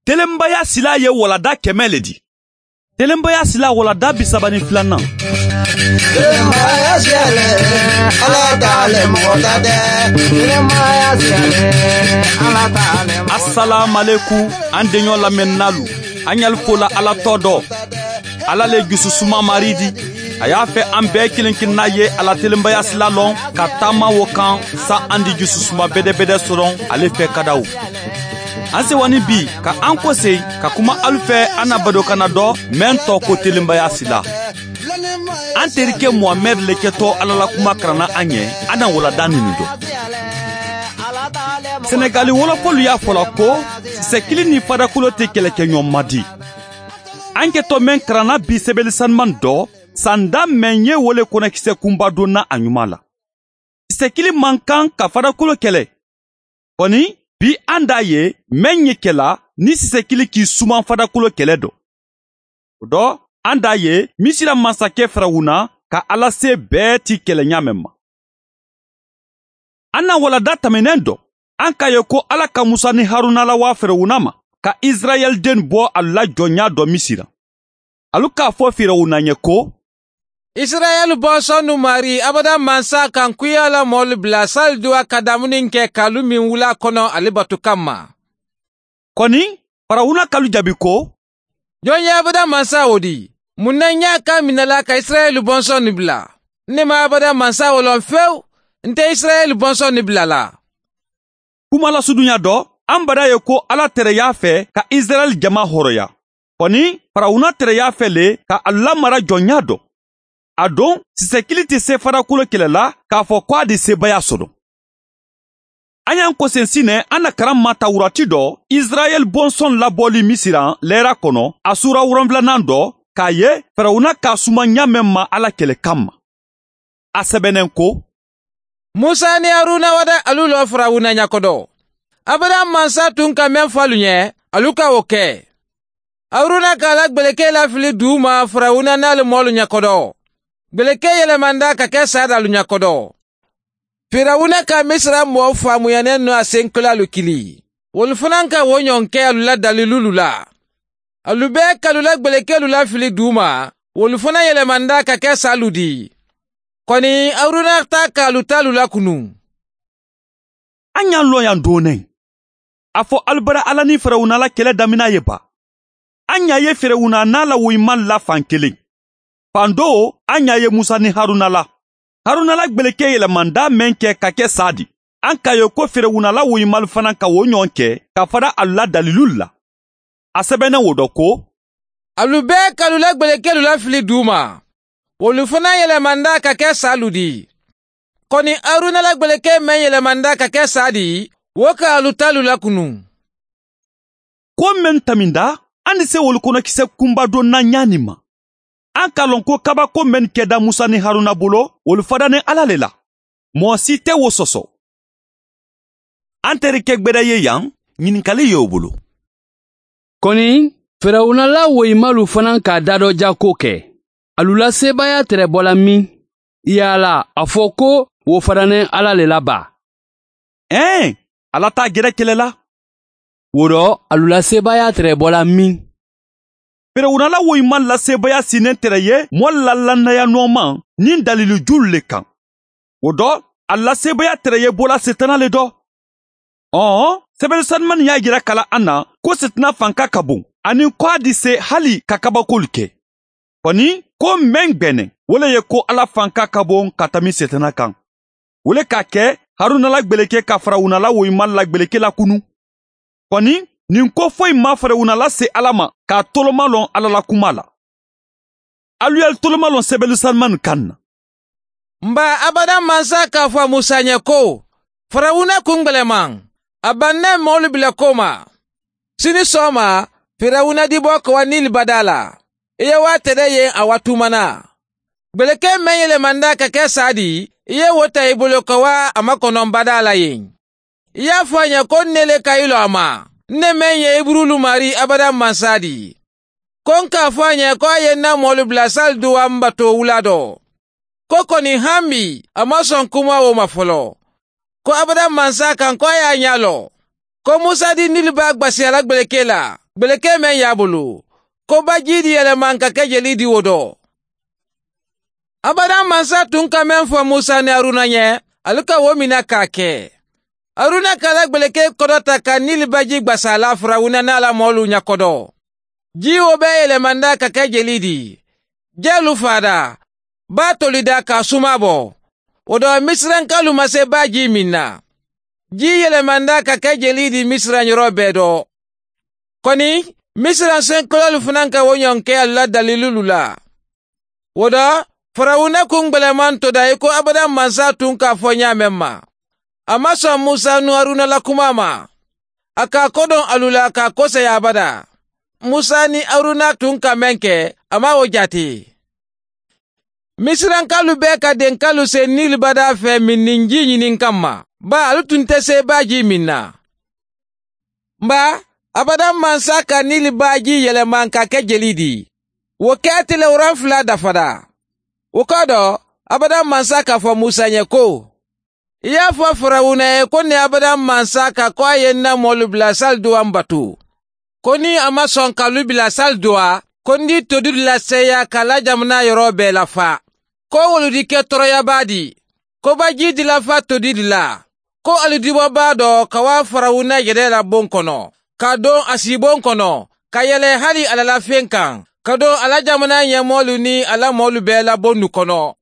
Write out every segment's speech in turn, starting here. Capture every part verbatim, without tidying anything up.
Telenbaya sila ye walada kɛmɛ le di. Telenbaya sila walada bi saba ni filanan. Telenbaya siyale, Ala t'ale mɔgɔ ta tɛ. Telenbaya siyale, Ala t'ale mɔgɔ ta tɛ. Asalaamaleku an denɲɔ lamɛnnalu. An y'alu fola Ala tɔ dɔ. Ala le jususuma mari di. A y'a fɛ an bɛɛ kelen kelenna ye ala telenbaya sila lɔn ka taama wo kan sa an di jususuma bɛdɛbɛdɛ sɔrɔ ale fɛ kadaw. An sewani bi ka an kɔse ka kuma alu fɛ an na badokana dɔ mɛn tɔ ko telenbaya sila. An terikɛ Muhamɛd le kɛtɔ Ala la kuma karanna an ɲɛ an na walada nin dɔ. Senegali wɔlɔfɔlu y'a fɔla ko sisɛkili ni fadakolo tɛ kɛlɛkɛɲɔgɔn ma di. An kɛtɔ mɛn karanna bi sɛbɛli sanuman dɔ sanda mɛn ye wole kɔnɔkisɛ kunba donna a ɲuman la. Sisɛkili man kan ka fadakolo kɛlɛ. Kɔni bi an d'a ye mɛn ye kɛla ni sisɛkili k'i suman fadakolo kɛlɛ dɔ. O dɔ an d'a ye Misira masakɛ Firawuna ka Ala se bɛɛ ti kɛlɛ ɲa mɛn ma. An na walada tɛmɛnen dɔ an k'a ye ko Ala ka Musa ni Haruna lawa Firawuna ma ka Israɛl den bɔ a la jɔnya dɔ Misira. Alu k'a fɔ Firawuna ɲɛ ko Israɛl bɔnsɔn nu mari abada mansa kan kuya la mɔlu bila sali duwa ka damuni kɛ kalu min wula kɔnɔ ale bato kama. Kɔni Firawuna kalu jaabi ko jɔn ye abada mansa o di? Mun na n y'a kan minɛla ka Israɛl bɔnsɔn ni bila? Ne ma abada mansa o lɔn fewu, n tɛ Israɛl bɔnsɔn ni bila la. Kuma lasudunya dɔ an bada ye ko Ala tɛrɛ y'a fɛ ka Israɛl jama hɔrɔnya. Kɔni Firawuna tɛrɛ y'a fɛ le ka a lamara jɔnya dɔ. A don sisɛkili tɛ se farakolo kɛlɛ la k'a fɔ ko a di sebaya sɔrɔ. An y'an kɔsen sinɛ an na karan ma tawurati dɔ Israɛl bɔnsɔn labɔli Misira lɛra kɔnɔ a sura wolonfilanan dɔ k'a ye Firawuna k'a suma ɲa mɛn ma Ala kɛlɛ kama. A sɛbɛnnen ko Musa ni Haruna wada alu lɔ Firawuna ɲakɔdɔ. Abada mansa tun ka mɛn fɔ alu ɲɛ alu ka o kɛ. Haruna k'a la gbɛlɛkɛ lafili dugu ma Firawuna n'ale mɔlu ɲakɔdɔ. Gbɛlɛkɛ yɛlɛmanda ka kɛ sa dalu ɲakɔdɔ. Firawuna ka Misira mɔɔ faamuyanen nɔ a senkolalu kili. Wolu fana ka wo ɲɔgɔn kɛ alu la dalilulu la. Alu bɛɛ k'alu la gbɛlɛkɛlu lafili dugu ma, wolu fana yɛlɛmanda ka kɛ salu di. Kɔni Haruna ta k'alu talu lakunu. An y'an lɔ yan donnen. A fɔ alibara Ala ni Firawuna la kɛlɛ damina ye ba. An y'a ye Firawuna n'a la woyiman la fan kelen. Fan dɔ an y'a ye Musa ni Haruna la. Haruna la gbɛlɛkɛ yɛlɛmanda mɛn kɛ ka kɛ sa di. An k'a ye ko Firawuna la woyimalu fana ka o ɲɔgɔn kɛ ka fara alu la dalilu la. A sɛbɛnnen o dɔ ko alu bɛɛ k'alu la gbɛlɛkɛlu lafili dugu ma. Wolu fana yɛlɛmanda ka kɛ salu di. Kɔni Haruna la gbɛlɛkɛ mɛn yɛlɛmanda ka kɛ sa di, wo ka alu talu lakunu. Ko mɛn taminda an ni se wolu kɔnɔkisɛ kunba dɔ na ɲa nin ma. An k'a lɔn ko kabako mɛn kɛda Musa ni Haruna bolo wolu fadanen Ala le la. Mɔgɔ si tɛ wo sɔsɔ. An terikɛ gbɛdɛ ye yan ɲininkali ye o bolo. Kɔni Firawuna la woyimalu fana k'a dadɔ jako kɛ. Alu la sebaya tɛrɛ bɔla min? Yala a fɔ ko wo fadanen Ala le la ba. Ɛn, Ala t'a gɛrɛ kɛlɛ la. Wo dɔ alu la sebaya tɛrɛ bɔla min? Firawuna la woyiman la sebaya sinen tɛrɛ ye mɔɔ la lannaya nɔɔman ni dalilu julu le kan. O dɔ a la sebaya tɛrɛ ye bɔla setana le dɔ. Ɔn, sɛbɛnni sanuman y'a jira kala an na ko setana fanka ka bon ani ko a di se hali ka kabakolu kɛ. Kɔni ko mɛn gbɛnɛ wo le ye ko Ala fanka ka bon ka tɛmɛ setana kan. Wo le k'a kɛ Haruna la gbɛlɛkɛ ka Firawuna la woyiman la gbɛlɛkɛ lakunu. Kɔni nin ko foyi ma Firawuna lase Ala ma k'a toloma lɔn Ala la kuma la. Alu y'alu toloma lɔn sɛbɛnni sanuman kan na. Nba abada mansa k'a fɔ Musa ɲɛ ko Firawuna kun gbɛlɛman a bannɛ mɔɔlu bila ko ma. Sini sɔgɔma Firawuna di bɔ ka wa Nili bada la. I ye wa tɛrɛ ye a wa tumana. Gbɛlɛkɛ mɛn yɛlɛmanda ka kɛ sa di, i ye wo ta i bolo ka wa a makɔnɔ bada la yen. I y'a fɔ a ɲɛ ko ne le ka i lɔ a ma. Ne mɛn ye Iburulu mari abada mansa di. Ko n k'a fɔ a ɲɛ ko a ye n na mɔɔlu bila sali duwa n bato wula dɔ. Ko kɔni hami a ma sɔn kuma o ma fɔlɔ. Ko abada mansa kan ko a y'a ɲɛ lɔ. Ko Musa di Nili ba gbasi a la gbɛlɛkɛ la. Gbeleke mɛn y'a bolo. Ko baji di yɛlɛma ka kɛ jeli di o dɔ. Abada mansa tun ka mɛn fɔ Musa ni Aruna ɲɛ, alu ka wo mina k'a kɛ. Aruna k'a la gbeleke kɔdɔ ta ka Nili baji gbasa la Firawuna n'a la mɔɔlu ɲɛkɔdɔ. Ji o bɛɛ yɛlɛmanda ka kɛ jeli di. Jɛlu fada, ba tolida ka suma bɔ. O dɔ Misirankalu ma se ba ji min na. Ji yɛlɛmanda ka kɛ jeli di Misiran yɔrɔ bɛɛ dɔ. Kɔni, Misiran senkɔlɔlu fana ka o ɲɔgɔn kɛ alu la dalilulu la. O dɔ, Firawuna kun gbɛlɛman toda i ko abada mansa tun k'a fɔ ɲa mɛn ma. A ma sɔn Musa nu Aruna la kuma ma. A k'a kodɔn alu la k'a kosɛya abada. Musa ni Aruna tun ka mɛn kɛ, a ma o jate. Misirankalu bɛɛ ka denkalu se Nili bada fɛ min ji ɲini kama. Ba alu tun tɛ se ba ji min na. Nba, abada mansa ka Nili baji yɛlɛma ka kɛ jeli di. O kɛ tile wolonfila dafara. O kɔ dɔ, abada mansa k'a fɔ Musa ɲɛ ko, i y'a fɔ Firawuna ye ko ni abada mansa ka ko a ye n na mɔlu bila sali dowa n bato. Ko ni a ma sɔn k'alu bila sali dowa, ko n di todi laseya k'a la jamana yɔrɔ bɛɛ lafa. Ko wolu di kɛ tɔɔrɔyaba di. Ko baji di lafa todi di la. Ko alu dibɔba dɔ ka wa Firawuna yɛrɛ la bon kɔnɔ, ka don a sibon kɔnɔ, ka yɛlɛ hali a la fen kan, ka don a la jamana ɲɛmɔlu ni a la mɔlu bɛɛ la bon nu kɔnɔ.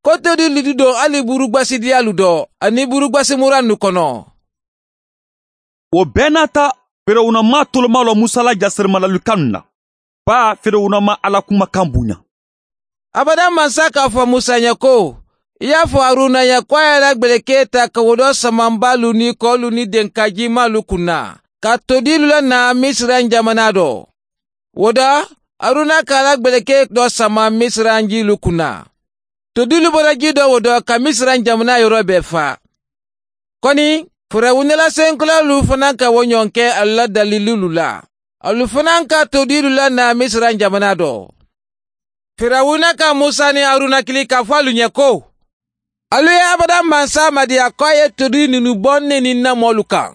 Ko todi lu di don hali burugbasidiyalu dɔ ani burugbasimuran nu kɔnɔ. O bɛɛ n'a ta, Firawuna ma toloma lɔ Musa la jasirimalalikan na. Ba Firawuna ma Ala kumakan bonya. Abada mansa k'a fɔ Musa ɲɛ ko, i y'a fɔ Aruna ɲɛ ko a y'a la gbeleke ta ka wo dɔ samanbalu ni kɔlu ni denkajimalu kunna, ka todilu la na Misiran jamana dɔ. O dɔ, Aruna k'a la gbeleke dɔ sama Misiran jilu kunna. Todilu bɔra ji dɔ o dɔ ka Misiran jamana yɔrɔ bɛɛ fa. Kɔni, Firawuna la senkɔlɔlu fana ka o ɲɔgɔn kɛ alu la dalilulu la. Alu fana ka todilu la na Misiran jamana dɔ. Firawuna ka Musa ni Aruna kili k'a fɔ alu ɲɛ ko, alu ye abada mansa madiya ko a ye todi ninnu bɔ ne ni n na mɔlu kan.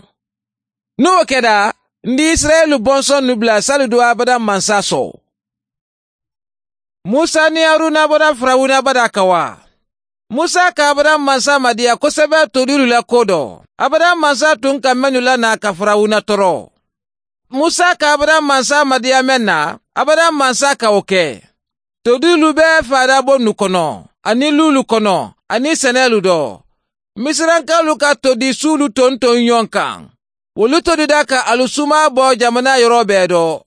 N'o kɛra, n di Israɛlu bɔnsɔn nu bila sali do abada mansa sɔn. Musa ni Aruna bɔra Firawuna bada ka wa. Musa ka abada mansa madiya kosɛbɛ todilu la ko dɔ. Abada mansa tun ka mɛnnu la n'a ka Firawuna tɔɔrɔ. Musa ka abada mansa madiya mɛn na, abada mansa ka o kɛ. Todilu bɛɛ fada bon nu kɔnɔ, ani lulu kɔnɔ, ani sɛnɛlu dɔ. Misirankalu ka todi sulu tonton ɲɔgɔn kan. Wolu todida ka alu suma bɔ jamana yɔrɔ bɛɛ dɔ.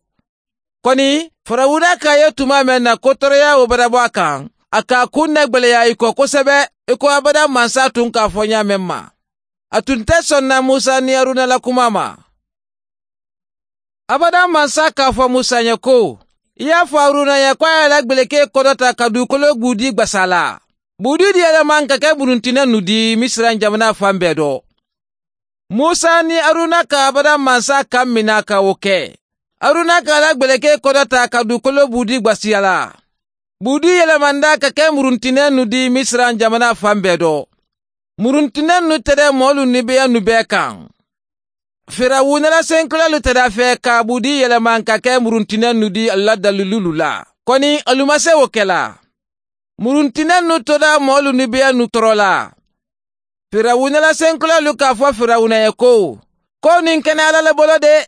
Kɔni, Firawuna k'a ye tuma mɛn na ko tɔɔrɔya o bada bɔ a kan, a k'a kun nɛgbɛlɛya i kɔ kosɛbɛ, i ko abada mansa tun k'a fɔ ɲa mɛn ma. A tun tɛ sɔn na Musa ni Aruna la kuma ma. Abada mansa k'a fɔ Musa ɲɛ ko, i y'a fɔ Aruna ɲɛ ko a y'a la gbeleke kɔdɔ ta ka dugukolo gbudi gbasa la. Gbudi di yɛlɛma ka kɛ buruntinɛ nu di Misiran jamana fan bɛɛ dɔ. Musa ni Aruna ka abada mansa kan mina ka o kɛ. Aruna k'a la gbeleke kɔdɔ ta ka dugukolo gbudi gbasiya la. Gbudi yɛlɛmanda ka kɛ muruntinɛ nu di Misiran jamana fan bɛɛ dɔ. Muruntinɛ nu tɛ dɛ mɔlu ni beya nu bɛɛ kan. Firawuna la senkɔlɔlu tɛ da fɛ ka gbudi yɛlɛma ka kɛ muruntinɛ nu di a la dalilulu la. Kɔni alu ma se o kɛ la. Muruntinɛ nu tora mɔlu ni beya nu tɔɔrɔ la. Firawuna la senkɔlɔlu k'a fɔ Firawuna ye ko, ko nin kɛnɛ Ala le bolo de.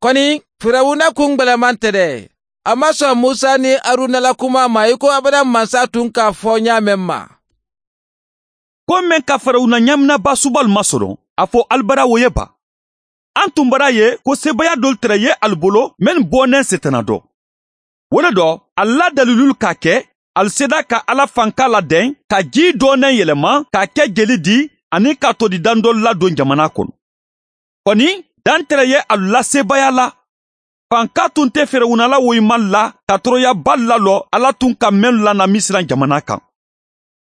Kɔni, Firawuna kun gbɛlɛman tɛ dɛ. A ma sɔn Musa ni Aruna la kuma ma i ko abada mansa tun k'a fɔ ɲa mɛn ma. Ko mɛn ka Firawuna ɲaminaba subalu masɔrɔ, a fɔ alibara wo ye ba. An tun bara ye ko sebaya dɔlu tɛrɛ ye alu bolo mɛn bɔnɛ setana dɔ. O le dɔ, a la dalilulu k'a kɛ, alu seda ka Ala fanka ladɛn, ka ji dɔɔnɛ yɛlɛma, k'a kɛ jeli di, ani ka todi dan dɔlu ladon jamana kɔnɔ. Kɔni, dan tɛrɛ ye alu la sebaya la. Fanka tun tɛ Firawuna la woyima la, ka tɔɔrɔyaba lalɔ Ala tun ka mɛnnu lana Misiran jamana kan.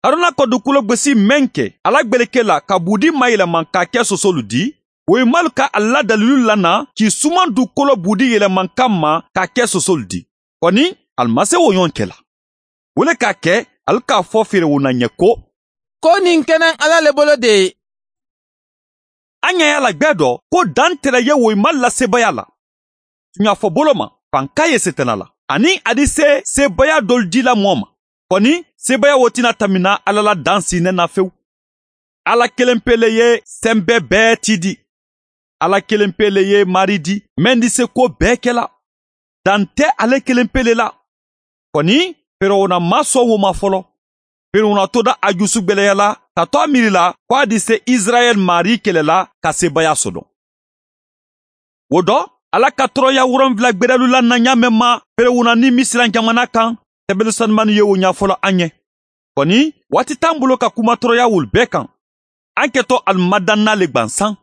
Aruna ka dugukolo gosi mɛn kɛ, ala gbeleke la ka budi mayɛlɛma k'a kɛ sosolu di, woyimalu ka a la dalilu lana k'i suman dugukolo budi yɛlɛma kama k'a kɛ sosolu di. Kɔni, ali ma se o ɲɔgɔn kɛ la. O le k'a kɛ, ali k'a fɔ Firawuna ɲɛ ko, ko nin kɛnɛ Ala le bolo de ye. An ɲɛ y'a la gbɛ dɔ ko dan tɛrɛ ye woyima la sebaya la. Tuɲa fɔ bolo ma, fanka ye setana la. Ani a di se sebaya dɔlu di la mɔɔ ma. Kɔni sebaya wo tɛna tamina Ala la dan sinnen na fewu. Ala kelen pe le ye sɛnbɛ bɛɛ ti di. Ala kelen pe le ye mari di, mɛn di se ko bɛɛ kɛla. Dan tɛ ale kelen pe le la. Kɔni Firawuna ma sɔn wo ma fɔlɔ. Firawuna toda a jusu gwɛlɛya la ka to a miiri la ko a di se Israɛl mari kɛlɛ la ka sebaya sɔrɔ. O dɔ, Ala ka tɔɔrɔya wolonfila gbɛrɛlu la na ɲa mɛn ma Firawuna ni Misira jamana kan, sɛbɛnni sanumani ye o ɲɛfɔlɔ an ɲɛ. Kɔni waati t'an bolo ka kuma tɔɔrɔya wolu bɛɛ kan. An kɛtɔ alimadanna le gwansan.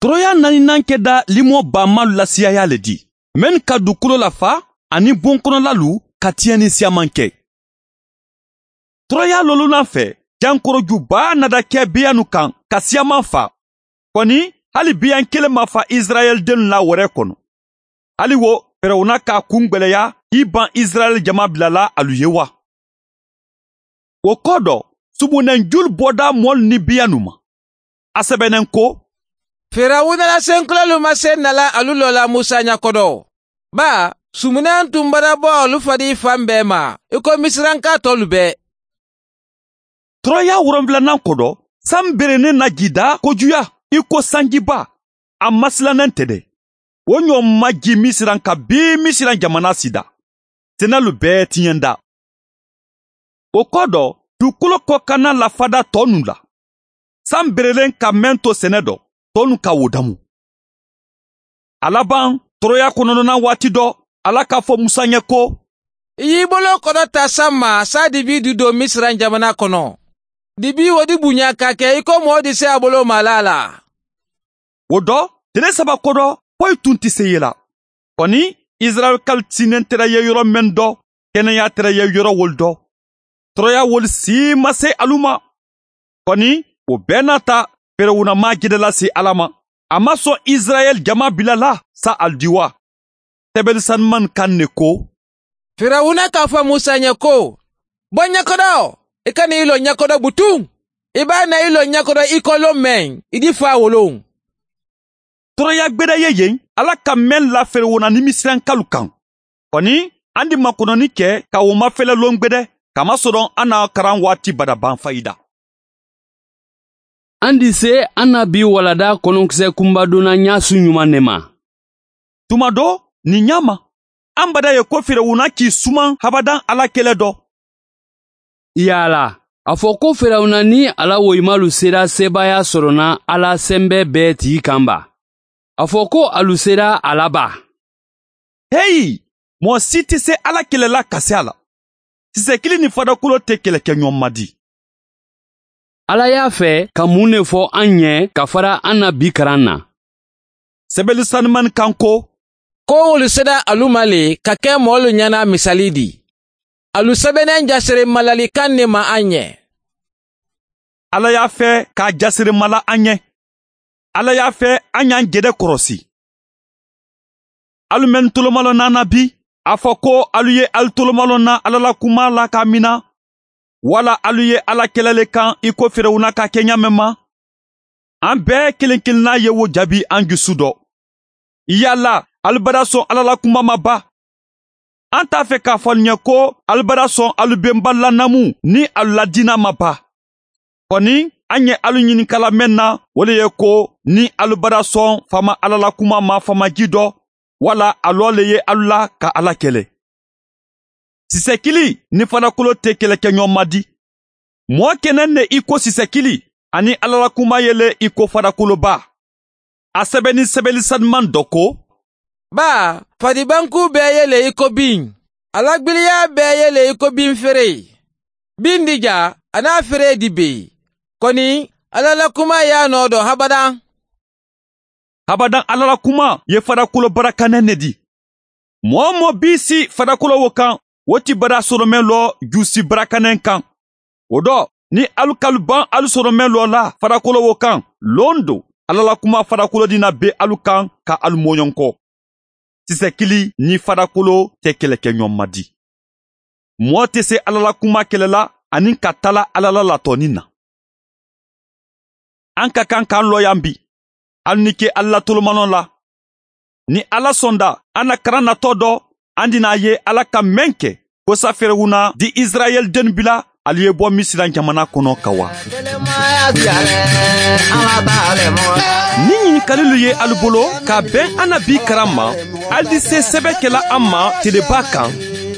Tɔɔrɔya naaninan kɛda limɔ bamalu la siyaya le di. Mɛn ka dugukolo lafa ani bon kɔnɔlalu ka tiɲɛni siyaman kɛ. Tɔɔrɔya lolunan fɛ, jankorojuba nada kɛ biyanu kan ka siyaman fa. Kɔni hali biyan kelen ma fa Israɛl denw la wɛrɛ kɔnɔ. Hali wo Firawuna k'a kun gwɛlɛya k'i ban Israɛl jama bilala alu ye wa. O kɔ dɔ, sumunɛnjulu bɔda mɔlu ni biyanu ma. A sɛbɛnnen ko, Firawuna la senkulolu ma se nala alu lɔ la Musa ɲakɔdɔ. Ba, sumunɛn tun bara bɔ alu fadi fan bɛɛ ma, i ko Misiranka tɔlu bɛɛ. Tɔɔrɔya wolonfilanan kɔdɔ, san berennen na jida kojuya i ko sanjiba, a masilannen tɛ dɛ. O ɲɔ ma ji Misiran ka bi Misiran jamana sida. Sɛnɛlu bɛɛ tiɲɛnda. O kɔ dɔ, dugukolo kɔkanna lafada tɔ nu la. San berelen ka mɛn to sɛnɛ dɔ, tɔ nu ka wo damu. A laban, tɔɔrɔya kɔnɔnana waati dɔ, Ala k'a fɔ Musa ɲɛ ko, I y'i bolo kɔrɔ ta san ma, sa dibi du don Misiran jamana kɔnɔ. Dibi wo di bonya ka kɛ i ko mɔɔ di se a bolo mala la. O dɔ, tile saba kɔdɔ, foyi tun tɛ se ye la. Kɔni, Israɛlkalu tinnen tɛrɛ ye yɔrɔ mɛn dɔ, kɛnɛya tɛrɛ ye yɔrɔ wolu dɔ. Tɔɔrɔya wolu si ma se alu ma. Kɔni, o bɛɛ n'a ta, Firawuna ma jɛdɛ lase Ala ma. A ma sɔn Israɛl jama bila la sa alidiwa. Sɛbɛnni sanuman kan ne ko, Firawuna k'a fɔ Musa ɲɛ ko, bɔ ɲɛkɔrɔ, i ka n'i lɔ ɲɛkɔrɔ butun. I b'a na i lɔ ɲɛkɔrɔ i kɔlɔ mɛn, i di fa wolon. Tɔɔrɔya gbɛdɛ ye yen, Ala ka mɛn la Firawuna ni Misirankalu kan. Kɔni, an di makɔnɔni kɛ ka o mafɛlɛ lon gbɛdɛ, kamasɔrɔ an na karan waati badaban fayida. An di se an na bi walada kɔnɔnkisɛ kunbadonna ɲasu ɲuman ne ma. Tuma dɔ, nin ɲa ma, an bada ye ko Firawuna k'i suman habadan Ala kɛlɛ dɔ. Yala, a fɔ ko Firawuna ni ala woyimalu sera sebaaya sɔrɔna Ala sɛnbɛ bɛɛ tigi kan ba. A fɔ ko alu sera a la ba. Heyi, mɔgɔ si tɛ se Ala kɛlɛ la ka se a la. Sisɛkili ni fadakolo tɛ kɛlɛ kɛ ɲɔgɔn ma di. Ala y'a fɛ ka mun de fɔ an ɲɛ ka fara an na bi karan na. Sɛbɛnni sanuman kan ko, Ko wolu sera alu ma le ka kɛ mɔɔlu ɲɛna misali di. Alu sɛbɛnnen jasere malalikan ne ma an ɲɛ. Ala y'a fɛ k'a jasere mala an ɲɛ. Ala y'a fɛ an y'an jɛdɛ kɔrɔsi. Alu mɛn tolomalɔ nana bi, a fɔ ko alu ye alu tolomalɔ na Ala la kuma la k'a mina, wala alu ye Ala kɛlɛle kan i ko Firawuna ka kɛ ɲa mɛn ma. An bɛɛ kelen kelenna ye wo jaabi an jusu dɔ. Yala alu bara sɔn Ala la kuma ma ba. An t'a fɛ k'a fɔ alu ɲɛ ko alu bara sɔn alu benba lanamu ni alu la diina ma ba. Kɔni, an ye alu ɲininkala mɛn na, o le ye ko ni alu bara sɔn fama Ala la kuma ma famaji dɔ, wala alɔ le ye alu la ka Ala kɛlɛ. Sisɛkili ni falakolo tɛ kɛlɛ kɛ ɲɔgɔn ma di. Mɔɔ kɛnɛ ne i ko sisɛkili ani Ala la kuma yele i ko falakoloba. A sɛbɛnni sɛbɛnni sanuman dɔ ko, Ba, fadibanku bɛɛ yele i ko bin. Alagbiliya bɛɛ yele i ko bin feere. Bin di ja, a n'a feere di be. Kɔni, Ala la kuma y'a nɔ dɔn habadan. Habadan Ala la kuma ye farakolo barakanɛ ne di. Mɔɔ mɔ bi si farakolo wo kan, o ti bara sɔrɔmɛ lɔ jusi barakanɛ kan. O dɔ, ni alu kalu ban alu sɔrɔmɛ lɔ la farakolo wo kan, lon do, Ala la kuma farakolo dina be alu kan ka alu mɔɲɔn kɔ. Sisɛkili ni farakolo tɛ kɛlɛ kɛ ɲɔgɔn ma di. Mɔɔ tɛ se Ala la kuma kɛlɛ la ani ka tala Ala la latɔni na. An ka kan k'an lɔ yan bi. Alu ni ke Ala la tolomanɔ la. Ni Ala sɔnda, an na karan natɔ dɔ, an dina ye Ala ka mɛn kɛ kosa Firawuna di Israɛl den bila ali ye bɔ Misira jamana kɔnɔ ka wa. Ni ɲininkalilu ye alu bolo ka bɛn an na bi karan ma, ali di se sɛbɛ kɛla an ma teleba kan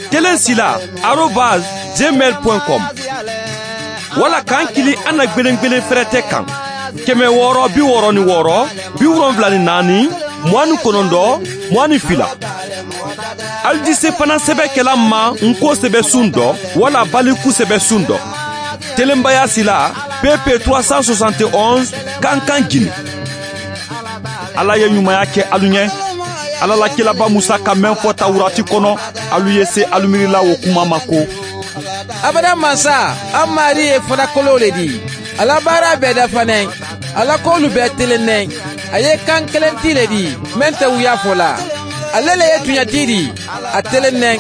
kelen sila arobase gmail point com wala k'an kili an na gwelen-gwelen fɛrɛtɛ kan kɛmɛ wɔɔrɔ bi wɔɔrɔ ni wɔɔrɔ bi wolonfila ni naani mugan ni kɔnɔntɔn mugan ni fila. Ali di se fana sɛbɛ kɛla ma nko sɛbɛ sun dɔ wala baliku sɛbɛ sun dɔ. Telenbaya sila P P trois cent soixante et onze Kankan Guinée. Ala ye ɲumanya kɛ alu ɲɛ. Ala la kilaba Musa ka mɛn fɔ Tawurati kɔnɔ, alu ye se alu miirila o kuma ma ko Abada mansa, an mari ye farakolo le di. Ala baara bɛɛ dafanen, ala k'olu bɛɛ telennen. A ye kan kelen ti le di, mɛn tɛ wuya fɔ la. Ale le ye tuɲati di, a telennen.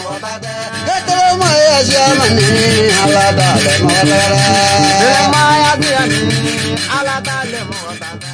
Ala t'ale mɔgɔ tɛ.